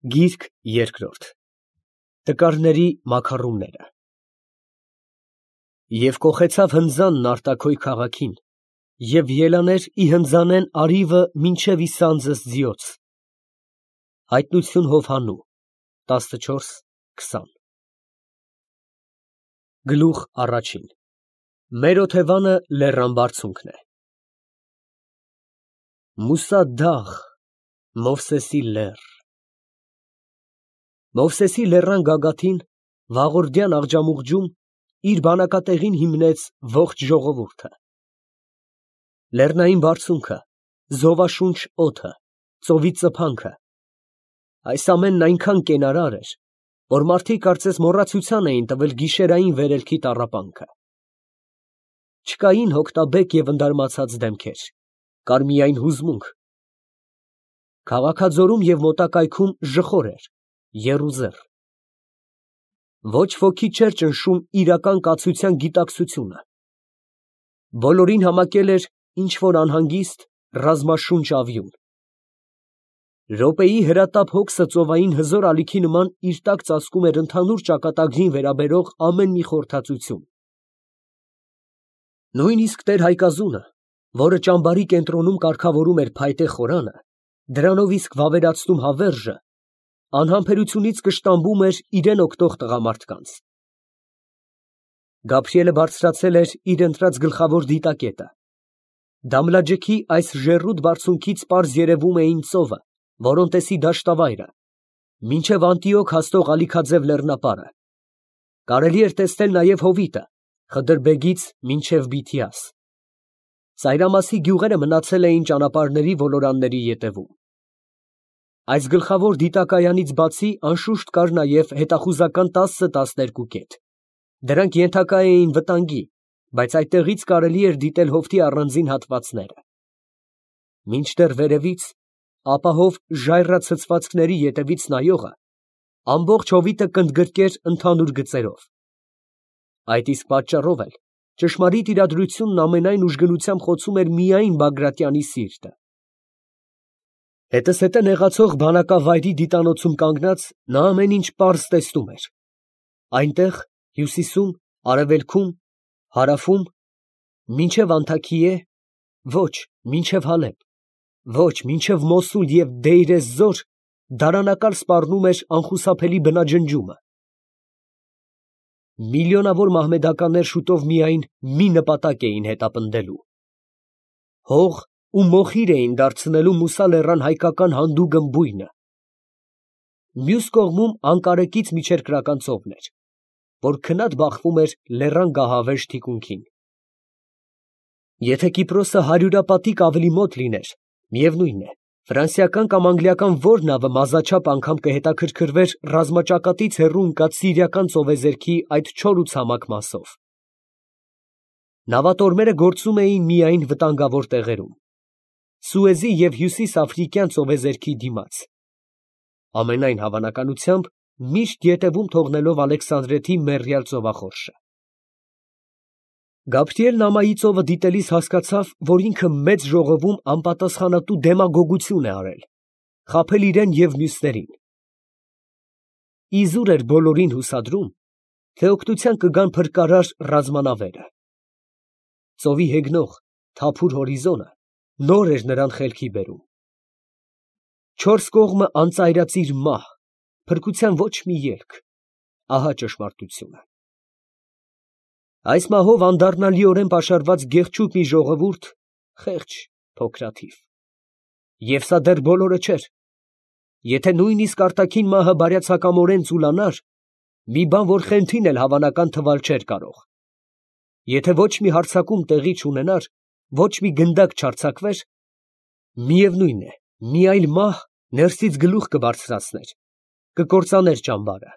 Գիրք երկրորդ Տկարների մաքառումները Եվ կոխեցավ հնձանն արտաքոյ քաղաքին, և ելաներ ի հնձանեն արիվը մինչև ի սանձս ձիոց։ Հայտնություն Հովհաննու 14:20 Գլուխ առաջին Մեր օթևանը լեռան բարձունքն է։ Մուսա դաղ, Մովսեսի լեռ։ Մովսեսի լեռան գագաթին, վաղորդյան աղջամուղջում, իր բանակատեղին հիմնեց ողջ ժողովուրդը։ Լեռնային բարձունքը, զովաշունչ օդը, ծովի ծփանքը, այս ամենն այնքան կենարար էր, որ մարդիկ կարծես մոռացության էին տվել գիշերային վերելքի տառապանքը։ Չկային հոգտաբեկ և ընդարմացած դեմքեր, կար միայն հուզմունք։ Քաղաքաձորում և մոտակայքում ժխոր էր, եռուզեռ։ Ոչ ոքի չէր ճնշում իրական կացության գիտակցությունը։ Բոլորին համակել էր ինչ֊որ անհանգիստ, ռազմաշունչ ավյուն։ Րոպեի հրատապ հոգսը ծովային հզոր ալիքի նման իր տակ ծածկում էր ընդհանուր ճակատագրին վերաբերող ամեն մի խորհրդածություն։ Նույնիսկ տեր֊Հայկազունը, որը ճամբարի կենտրոնում կարգավորում էր փայտե խորանը, դրանով իսկ վավերացնում հավերժը, անհամբերությունից կշտամբում էր իրան օգնող տղամարդկանց։ Գաբրիելը բարձրացել էր իր ընտրած գլխավոր դիտակետը։ Դամլաջեքի այս ժեռուտ բարձունքից պարզ երևում էին ծովը, Որոնտեսի դաշտավայրը, մինչև Անտիոք հասնող ալիքաձև լեռնապարը։ Կարելի էր տեսնել նաև Հովիտը, Խդրբեգից մինչև Բիթիաս։ Ծայրամասի գյուղերը մնացել էին ճանապարհների ոլորանների ետևում։ Այս գլխավոր դիտակայանից բացի անշուշտ կար նաև հետախուզական 10-12 կետ։ Դրանք ենթակա էին վտանգի, բայց այդտեղից կարելի էր դիտել Հովտի առանձին հատվածները։ Մինչդեռ վերևից, ապահով ժայռացցվածքների ետևից նայողը ամբողջ Հովիտը կընդգրկեր ընդհանուր գծերով։ Այդ իսկ պատճառով էլ ճշմարիտ իրադրությունն ամենայն ուժգնությամբ խոցում էր միայն Բագրատյանի սիրտը։ Հետզհետե նեղացող բանակավայրի դիտանոցում կանգնած նա ամեն ինչ պարզ տեսնում էր։ Այնտեղ, հյուսիսում, արևելքում, հարավում, մինչև Անթաքիե, ոչ, մինչև Հալեբ, ոչ, մինչև Մոսուլ և Դեյր ez-Զոր դարանակալ սպառնում էր անխուսափելի բնաջնջումը։ Միլիոնավոր մահմեդականներ շուտով միայն մի նպատակ էին հետապնդելու։ Հող ու մոխիր էին դարձնելու Մուսա լեռան հայկական հանդուգն բույնը։ Մյուս կողմում անկարեկից միջերկրական ծովն էր, որ քնած բախվում էր լեռան գահավեժ թիկունքին։ Եթե Կիպրոսը հարյուրապատիկ ավելի մոտ լիներ, միևնույն է, ֆրանսիական կամ անգլիական որ նավը մազաչափ անգամ կհետաքրքրվեր ռազմաճակատից հեռու ընկած սիրիական ծովեզերքի այդ չոր ու ցամաք մասով։ Նավատորմերը գործում էին միայն վտանգավոր տեղերում, Սուեզի և հյուսիսաֆրիկյան ծովեզերքի դիմաց, ամենայն հավանականությամբ միշտ ետևում թողնելով Ալեքսանդրեթի մեռյալ ծովախորշը։ Գաբրիելն ամայի ծովը դիտելիս հասկացավ, որ ինքը մեծ ժողովում անպատասխանատու դեմագոգություն է արել, խաբել իրան և մյուսներին։ Իզուր էր բոլորին հուսադրում, թե օգնության կգան փրկարար ռազմանավերը։ Ծովի հեգնող, թափուր հորիզոնը նոր էր նրան խելքի բերում։ Չորս կողմը անծայրածիր մահ, փրկության ոչ մի ելք, ահա ճշմարտությունը։ Այս մահով անդառնալիորեն պաշարված գեղչուկ մի ժողովուրդ, խեղճ, փոքրաթիվ։ Եվ սա դեռ բոլորը չէր։ Եթե նույնիսկ արտաքին մահը բարյացակամորեն ծուլանար, մի բան, որ խենթին էլ հավանական թվալ չէր կարող։ Եթե ոչ մի հարձակում տեղի չունենար, ոչ մի գնդակ չարձակվեր, միևնույն է, մի այլ մահ ներսից գլուխ կբարձրացներ, կկործաներ ճամբարը։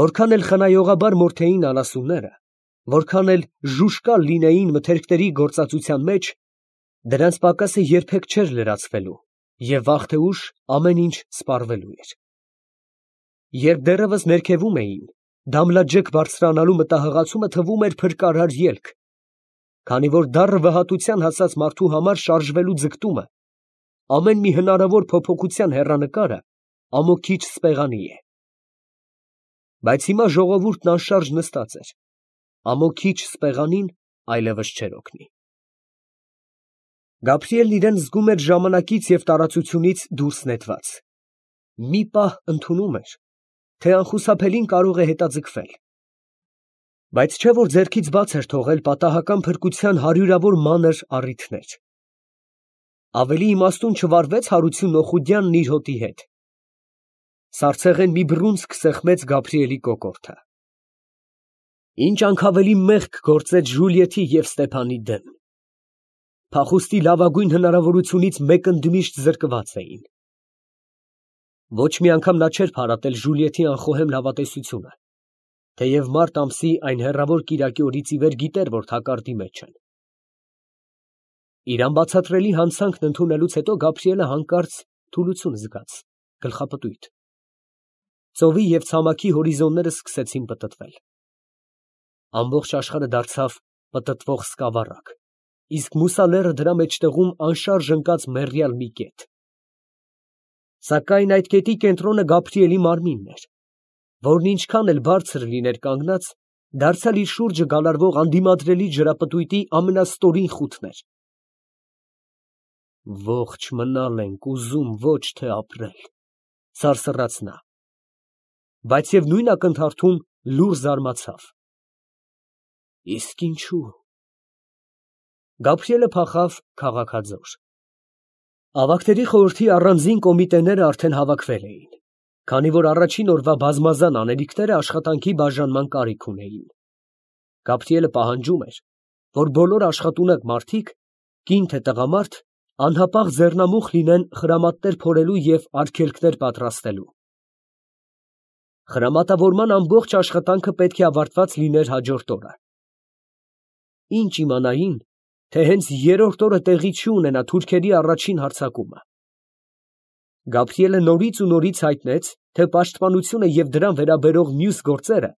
Որքան էլ խնայողաբար մորթեին անասունները, որքան էլ ժուժկալ լինեին մթերքների գործածության մեջ, դրանց պակասը երբեք չէր լրացվելու, և վաղ թե ուշ ամեն ինչ սպառվելու էր։ Երբ դեռևս ներքևում էին, Դամլաջեք բարձրանալու մտահղացումը թվում էր փրկարար ելք, քանի որ դառը վհատության հասած մարդու համար շարժվելու ձգտումը, ամեն մի հնարավոր փոփոխության հեռանկարը ամոքիչ սպեղանի է։ Բայց հիմա ժողովուրդն անշարժ նստած էր, ամոքիչ սպեղանին այլևս չէր օգնի։ Գաբրիելն իրեն զգում էր ժամանակից և տարածությունից դուրս նետված։ Մի պահ ընդունում էր, թե անխուսափելին կարող է հետաձգվել։ Բայց չէ որ ձեռքից բաց էր թողել պատահական փրկության հարյուրավոր մանր առիթներ։ Ավելի իմաստուն չվարվեց Հարություն Օխուդյանն իր հոտի հետ։ Սառցեղեն մի բռունցք սեղմեց Գաբրիելի կոկորդը։ Ինչ անքավելի մեղք գործեց Ժուլիեթի և Ստեփանի դեմ։ Փախուստի լավագույն հնարավորությունից մեկընդմիշտ զրկված էին։ Ոչ մի անգամ նա չէր փարատել Ժուլիեթի անխոհեմ լավատեսությունը, թեև մարտ ամսի այն հեռավոր կիրակի օրից ի վեր գիտեր, որ թակարդի մեջ են։ Իր անբացատրելի հանցանքն ընդունելուց հետո Գաբրիելը հանկարծ թուլություն զգաց, գլխապտույտ։ Ծովի և ցամաքի հորիզոնները սկսեցին պտտվել։ Ամբողջ աշխարհը դարձավ պտտվող սկավառակ, իսկ Մուսա լեռը դրա մեջտեղում անշարժ ընկած մեռյալ մի կետ։ Սակայն այդ կետի կենտրոնը Գաբրիելի մարմինն էր, որն ինչքան էլ բարձր լիներ կանգնած, դարձյալ իր շուրջը գալարվող անդիմադրելի ջրապտույտի ամենաստորին խութն էր։ Ողջ մնալ ենք ուզում, ոչ թե ապրել, սարսռաց նա, բայց և նույն ակնթարթում լուռ զարմացավ։ Իսկ ինչու՞։ Գաբրիելը փախավ քաղաքաձոր։ Ավագների խորհրդի առանձին կոմիտեները արդեն հավաքվել էին, քանի որ առաջին օրվա բազմազան անելիքները աշխատանքի բաժանման կարիք ունեին։ Գաբրիելը պահանջում էր, որ բոլոր աշխատունակ մարդիկ, կին թե տղամարդ, անհապաղ ձեռնամուխ լինեն խրամատներ փորելու և արգելքներ պատրաստելու։ Խրամատավորման ամբողջ աշխատանքը պետք է ավարտված լիներ հաջորդ օրը։ Ինչ իմանային, թե հենց երրորդ օրը տեղի չի ունենա թուրքերի առաջին հարձակումը։ Գաբրիելը նորից ու նորից հայտնեց, թե պաշտպանությունը և դրան վերաբերող մյուս գործերը,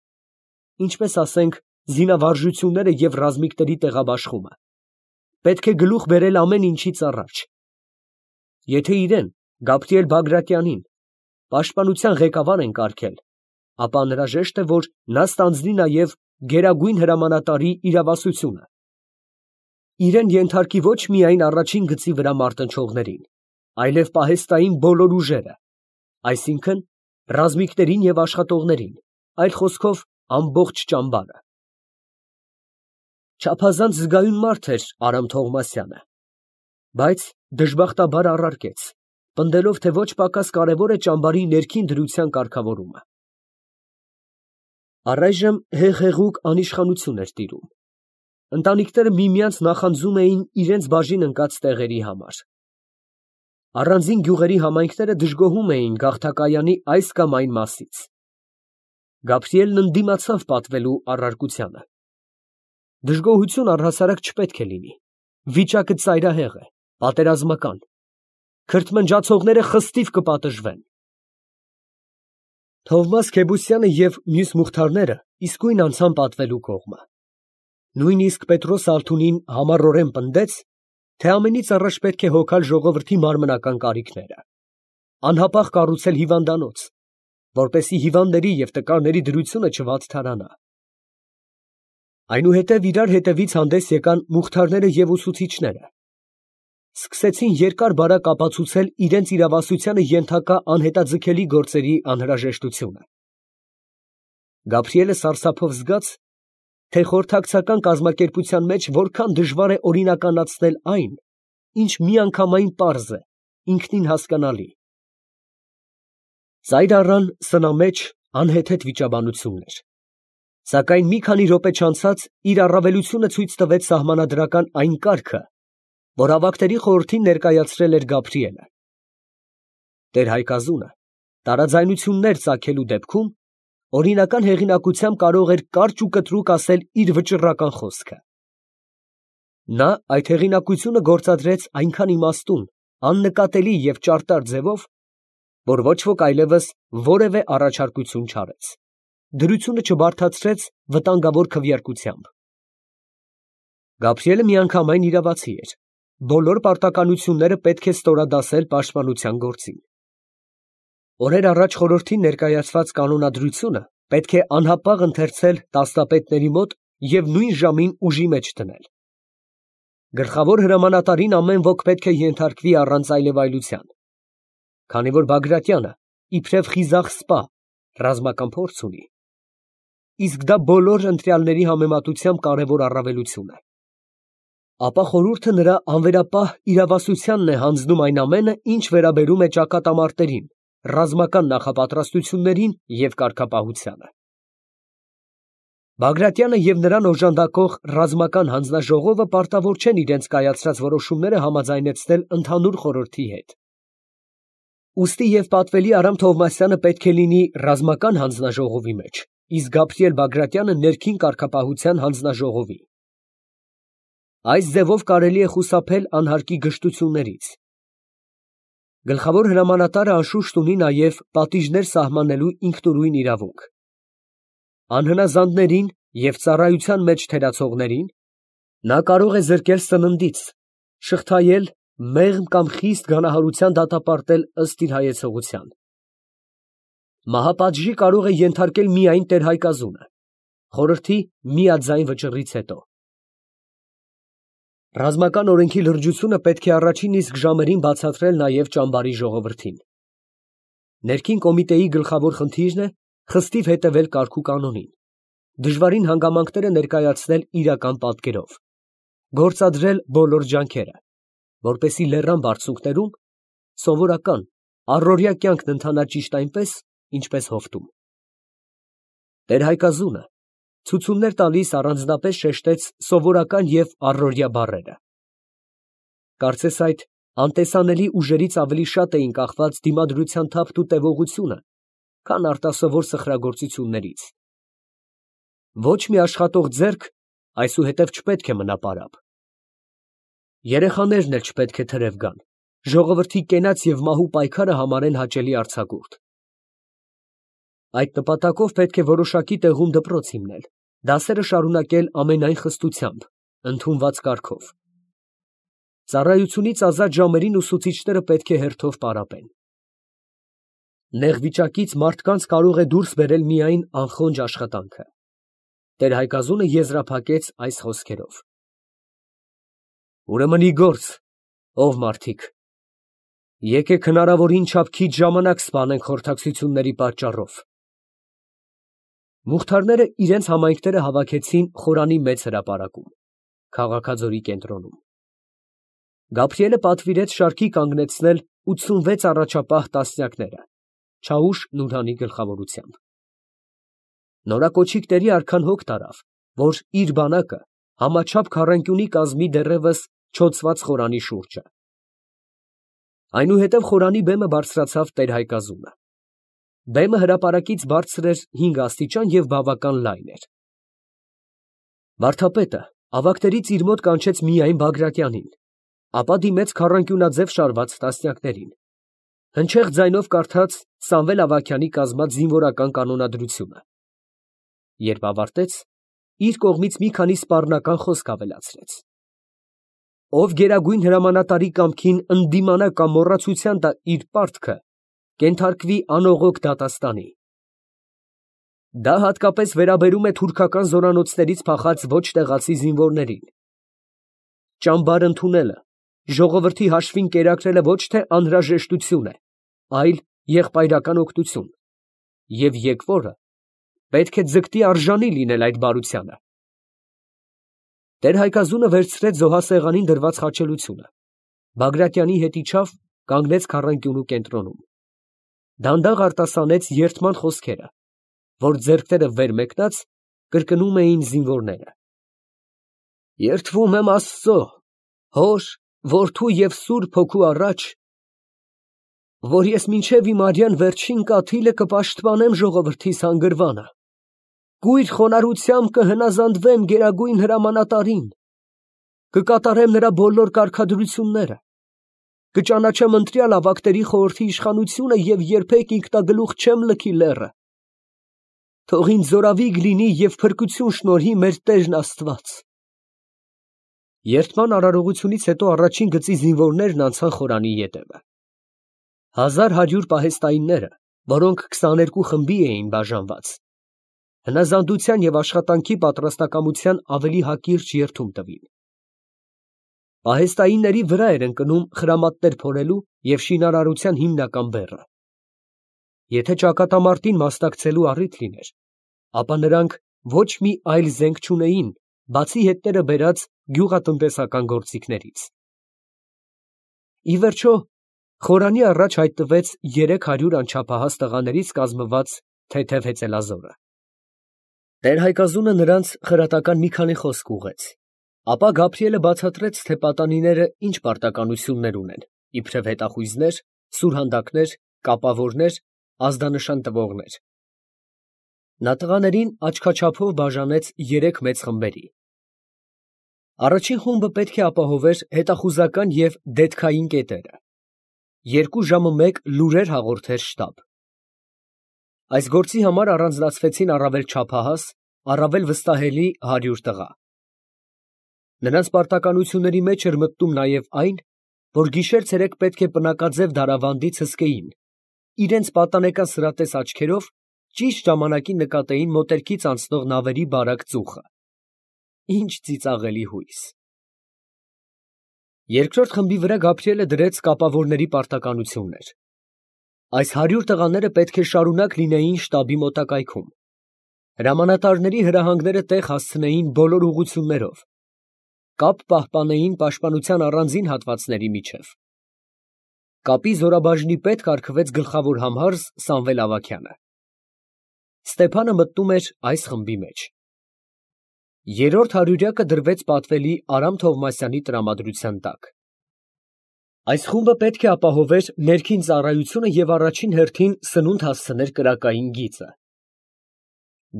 ինչպես ասենք, զինավարժությունները և ռազմիկների տեղաբաշխումը, պետք է գլուխ բերել ամեն ինչից առաջ։ Եթե իրեն, Գաբրիել Բագրատյանին, պաշտպանության ղեկավար են կարգել, ապա անհրաժեշտ է, որ նա ստանձնի նաև գերագույն հրամանատարի իրավասությունը։ Իրեն ենթարկի ոչ միայն առաջին գծի վրա մարտնչողներին, այլև պահեստային բոլոր ուժերը, այսինքն ռազմիկներին և աշխատողներին, այլ խոսքով ամբողջ ճամբարը։ Չափազանց զգայուն մարդ էր Արամ Թովմասյանը, բայց դժբախտաբար առարկեց, պնդելով, թե ոչ պակաս կարևոր է ճամբարի ներքին դրության կարգավորումը։ Առայժմ հեղեղուկ անիշխանություն էր տիրում։ Ընտանիքները միմյանց նախանձում էին իրենց բաժին ընկած տեղերի համար։ Առանձին գյուղերի համայնքները դժգոհում էին գաղթակայանի այս կամ այն մասից։ Գաբրիելն ընդդիմացավ պատվելու առարկությանը։ Դժգոհություն առհասարակ չպետք է լինի։ Վիճակը ծայրահեղ է, պատերազմական։ Քրթմնջացողները խստիվ կպատժվեն։ Թովմաս Քեբուսյանը և մյուս մուխթարները իսկույն անցան պատվելու կողմը։ Նույնիսկ Պետրոս Ալթունին համառորեն պնդեց, թե ամենից առաջ պետք է հոգալ ժողովրդի մարմնական կարիքները, անհապաղ կառուցել հիվանդանոց, որպեսզի հիվանդների և տկարների դրությունը չվատթարանա։ Այնուհետև իրար հետևից հանդես եկան մուխթարները և ուսուցիչները։ Սկսեցին երկար֊բարակ ապացուցել իրենց իրավասությանը ենթակա անհետաձգելի գործերի անհրաժեշտությունը։ Գաբրիելը սարսափով զգաց, թե խորհրդակցական կազմակերպության մեջ որքան դժվար է օրինականացնել այն, ինչ միանգամայն պարզ է, ինքնին հասկանալի։ Ծայր առան սնամեջ անհեթեթ վիճաբանություններ, սակայն մի քանի րոպե չանցած իր առավելությունը ցույց տվեց սահմանադրական այն կարգը, որ ավագների խորհրդին ներկայացրել էր Գաբրիելը։ Տեր-Հայկազունը տարաձայնություններ ծագելու դեպքում օրինական հեղինակությամբ կարող էր կարճ ու կտրուկ ասել իր վճռական խոսքը։ Նա այդ հեղինակությունը գործադրեց այնքան իմաստուն, աննկատելի և ճարտար ձևով, որ ոչ ոք այլևս որևէ առաջարկություն չարեց, դրությունը չբարդացրեց վտանգավոր քվեարկությամբ։ Գաբրիելը միանգամայն իրավացի էր, բոլոր պարտականությունները պետք է ստորադասել պաշտպանության գործին։ Օրեր առաջ խորհրդին ներկայացված կանոնադրությունը պետք է անհապաղ ընթերցել տասնապետների մոտ և նույն ժամին ուժի մեջ դնել։ Գլխավոր հրամանատարին ամեն ոք պետք է ենթարկվի առանց այլևայլության, քանի որ Բագրատյանը իբրև խիզախ սպա ռազմական փորձ ունի, իսկ դա բոլոր ընտրյալների համեմատությամբ կարևոր առավելություն է, ապա խորհուրդը նրա անվերապահ իրավասությանն է հանձնում այն ամենը, ինչ վերաբերում է ճակատամարտերին, ռազմական նախապատրաստություններին և կարգապահությանը։ Բագրատյանը և նրան օժանդակող ռազմական հանձնաժողովը պարտավոր չեն իրենց կայացրած որոշումները համաձայնեցնել ընդհանուր խորհրդի հետ։ Ուստի և պատվելի Արամ Թովմասյանը պետք է լինի ռազմական հանձնաժողովի մեջ, իսկ Գաբրիել Բագրատյանը ներքին կարգապահության հանձնաժողովի։ Այս ձևով կարելի է խուսափել անհարկի գժտություններից։ Գլխավոր հրամանատարը անշուշտ ունի նաև պատիժներ սահմանելու ինքնուրույն իրավունք։ Անհնազանդներին և ծառայության մեջ թերացողներին նա կարող է զրկել սննդից, շղթայել, մեղմ կամ խիստ գանահարության դատապարտել ըստ իր հայեցողության։ Մահապատժի կարող է ենթարկել միայն տեր-հայկազունը, խորհրդի միաձայն վճռից հետո։ Ռազմական օրենքի լրջությունը պետք է առաջին իսկ ժամերին բացատրել նաև ճամբարի ժողովրդին։ Ներքին կոմիտեի գլխավոր խնդիրն է խստիվ հետևել կարգ ու կանոնին, դժվարին հանգամանքները ներկայացնել իրական պատկերով, գործադրել բոլոր ջանքերը, որպեսզի լեռան բարձունքներում սովորական առօրյա կյանքն ընթանա ճիշտ այնպես, ինչպես հովտում։ Տեր֊հայկազունը ցուցումներ տալիս առանձնապես շեշտեց սովորական և առօրյա բառերը։ Կարծես այդ անտեսանելի ուժերից ավելի շատ էին կախված դիմադրության թափն ու տևողությունը, քան արտասովոր սխրագործություններից։ Ոչ մի աշխատող ձեռք այսուհետև չպետք է մնա պարապ։ Երեխաներն էլ չպետք է թրև գան, ժողովրդի կենաց և մահու պայքարը համարեն հաճելի արձակուրդ։ Այդ նպատակով պետք է որոշակի տեղում դպրոց հիմնել, դասերը շարունակել ամենայն խստությամբ, ընդունված կարգով։ Ծառայությունից ազատ ժամերին ուսուցիչները պետք է հերթով պարապեն։ Նեղ վիճակից մարդկանց կարող է դուրս բերել միայն անխոնջ աշխատանքը։ Տեր-հայկազունը եզրափակեց այս խոսքերով. Ուրեմն ի գործ, ով մարդիկ, եկեք հնարավորին չափ քիչ ժամանակ սպանենք խորհրդակցությունների պատճառով։ Մուղթարները իրենց համայնքները հավաքեցին Խորանի մեծ հրապարակում, Քաղաքաձորի կենտրոնում։ Գաբրիելը պատվիրեց շարքի կանգնեցնել 86 առաջապահ տասնյակները, Չաուշ Նուրհանի գլխավորությամբ։ Նորակոչիկների արքան հոգ տարավ, որ իր բանակը համաչափ քառանկյունի կազմի դեռևս չոցված Խորանի շուրջը։ Այնուհետև Խորանի բեմը բարձրացավ տեր-հայկազունը։ Բեմը հրապարակից բարձր էր 5 աստիճան և բավական լայն էր։ Վարդապետը ավագներից իր մոտ կանչեց միայն Բագրատյանին, ապա դիմեց քառանկյունաձև շարված տասնյակներին, հնչեղ ձայնով կարդաց Սամվել Ավագյանի կազմած զինվորական կանոնադրությունը։ Երբ ավարտեց, իր կողմից մի քանի սպառնական խոսք ավելացրեց. Ով գերագույն հրամանատարի կամքին ընդդիմանա կամ մոռացության տա իր պարտքը, կենթարկվի անողոք դատաստանի։ Դա հատկապես վերաբերում է թուրքական զորանոցներից փախած ոչ տեղացի զինվորներին։ Ճամբար ընդունելը, ժողովրդի հաշվին կերակրելը ոչ թե անհրաժեշտություն է, այլ եղբայրական օգնություն, և եկվորը պետք է ձգտի արժանի լինել այդ բարությանը։ Տեր-հայկազունը վերցրեց զոհասեղանին դրված խաչելությունը, Բագրատյանի հետ իջավ, կանգնեց քառանկյունու կենտրոնում։ Դանդաղ արտասանեց երդման խոսքերը, որ ձեռքները վեր մեկնած կրկնում էին զինվորները. Երդվում եմ Աստծո, Հոր, Որդու և Սուրբ Հոգու առաջ, որ ես մինչև իմ արյան վերջին կաթիլը կպաշտպանեմ ժողովրդիս հանգրվանը, կույր խոնարհությամբ կհնազանդվեմ գերագույն հրամանատարին, կկատարեմ նրա բոլոր կարգադրությունները, կճանաչեմ ընտրյալ ավագների խորհրդի իշխանությունը և երբեք ինքնագլուխ չեմ լքի լեռը։ Թող ինձ զորավիգ լինի և փրկություն շնորհի մեր Տերն Աստված։ Երդման արարողությունից հետո առաջին գծի զինվորներն անցան Խորանի ետևը։ 1100 պահեստայինները որոնք 22 խմբի էին բաժանված, հնազանդության և աշխատանքի պատրաստակամության ավելի հակիրճ երդում տվին։ Պահեստայինների վրա էր ընկնում խրամատներ փորելու և շինարարության հիմնական բեռը։ Եթե ճակատամարտին մասնակցելու առիթ լիներ, ապա նրանք ոչ մի այլ զենք չունեին, բացի հետները բերած գյուղատնտեսական գործիքներից։ Ի վերջո, խորանի առաջ հայտնվեց 300 անչափահաս տղաներից կազմված թեթև հեծելազորը։ Տեր-Հայկազունը նրանց խրատական մի քանի խոսք ուղղեց, ապա Գաբրիելը բացատրեց, թե պատանիները ինչ պարտականություններ ունեն, իբրև հետախույզներ, սուրհանդակներ, կապավորներ, ազդանշան տվողներ։ Նա տղաներին աչքաչափով բաժանեց 3 մեծ խմբերի։ Առաջին խումբը պետք է ապահովեր հետախուզական և դետքային կետերը, 2 ժամը մեկ լուրեր հաղորդեր շտաբ։ Այս գործի համար առանձնացվեցին առավել չափահաս, առավել վստահելի 100 տղա։ Նրանց պարտականությունների մեջ էր մտնում նաև այն, որ գիշեր-ցերեկ պետք է պնակաձև դարավանդից հսկեին, իրենց պատանեկան սրատես աչքերով ճիշտ ժամանակին նկատեին մոտերքից անցնող նավերի բարակ ծուխը։ Ինչ ծիծաղելի հույս։ Երկրորդ խմբի վրա Գաբրիելը դրեց կապավորների պարտականություններ։ Այս 100 տղաները պետք է շարունակ լինեին շտաբի մոտակայքում։ Հրամանատարների հրահանգները տեղ հասցնեին բոլոր ուղղություններով։ Կապ պահպանեին պաշտպանության առանձին հատվածների միջև։ Կապի զորաբաժնի պետ կարգվեց գլխավոր համարզ Սամվել Ավագյանը։ Ստեփանը մտնում էր այս խմբի մեջ։ Երրորդ հարյուրյակը դրվեց պատվելի Արամ Թովմասյանի տրամադրության տակ։ Այս խումբը պետք է ապահովեր ներքին ծառայությունը և առաջին հերթին սնունդ հասցներ կրակային գիծը։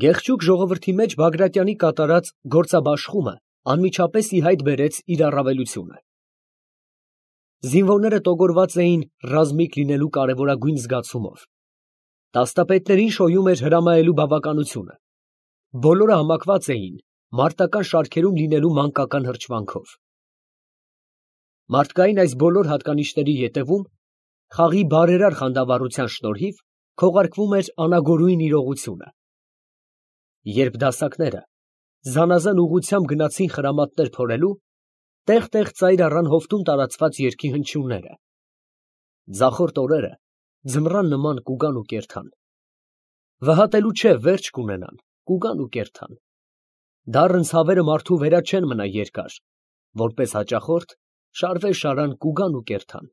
Գեղչուկ ժողովրդի մեջ Բագրատյանի կատարած գործաբաշխումը անմիջապես ի հայտ բերեց իր առավելությունը։ Զինվորները տոգորված էին ռազմիկ լինելու կարևորագույն զգացումով։ Տաստապետներին շոյում էր հրամայելու բավականությունը։ Բոլորը համակված էին մարտական շարքերում լինելու մանկական հրճվանքով։ Մարդկային այս բոլոր հատկանիշների ետևում խաղի բարերար խանդավառության շնորհիվ քողարկվում էր անագորույն իրողությունը։ Երբ դասակները զանազան ուղղությամբ գնացին խրամատներ փորելու, տեղ-տեղ ծայր առան հովտում տարածված երգի հնչյունները։ Ձախորդ օրերը ձմռան նման կուգան ու կերթան։ Վհատելու չէ, վերջ կունենան, կուգան ու կերթան։ Դառն ցավերը մարդու վերա չեն մնա երկար, որպես հաճախորդ շարվե շարան կուգան ու կերթան։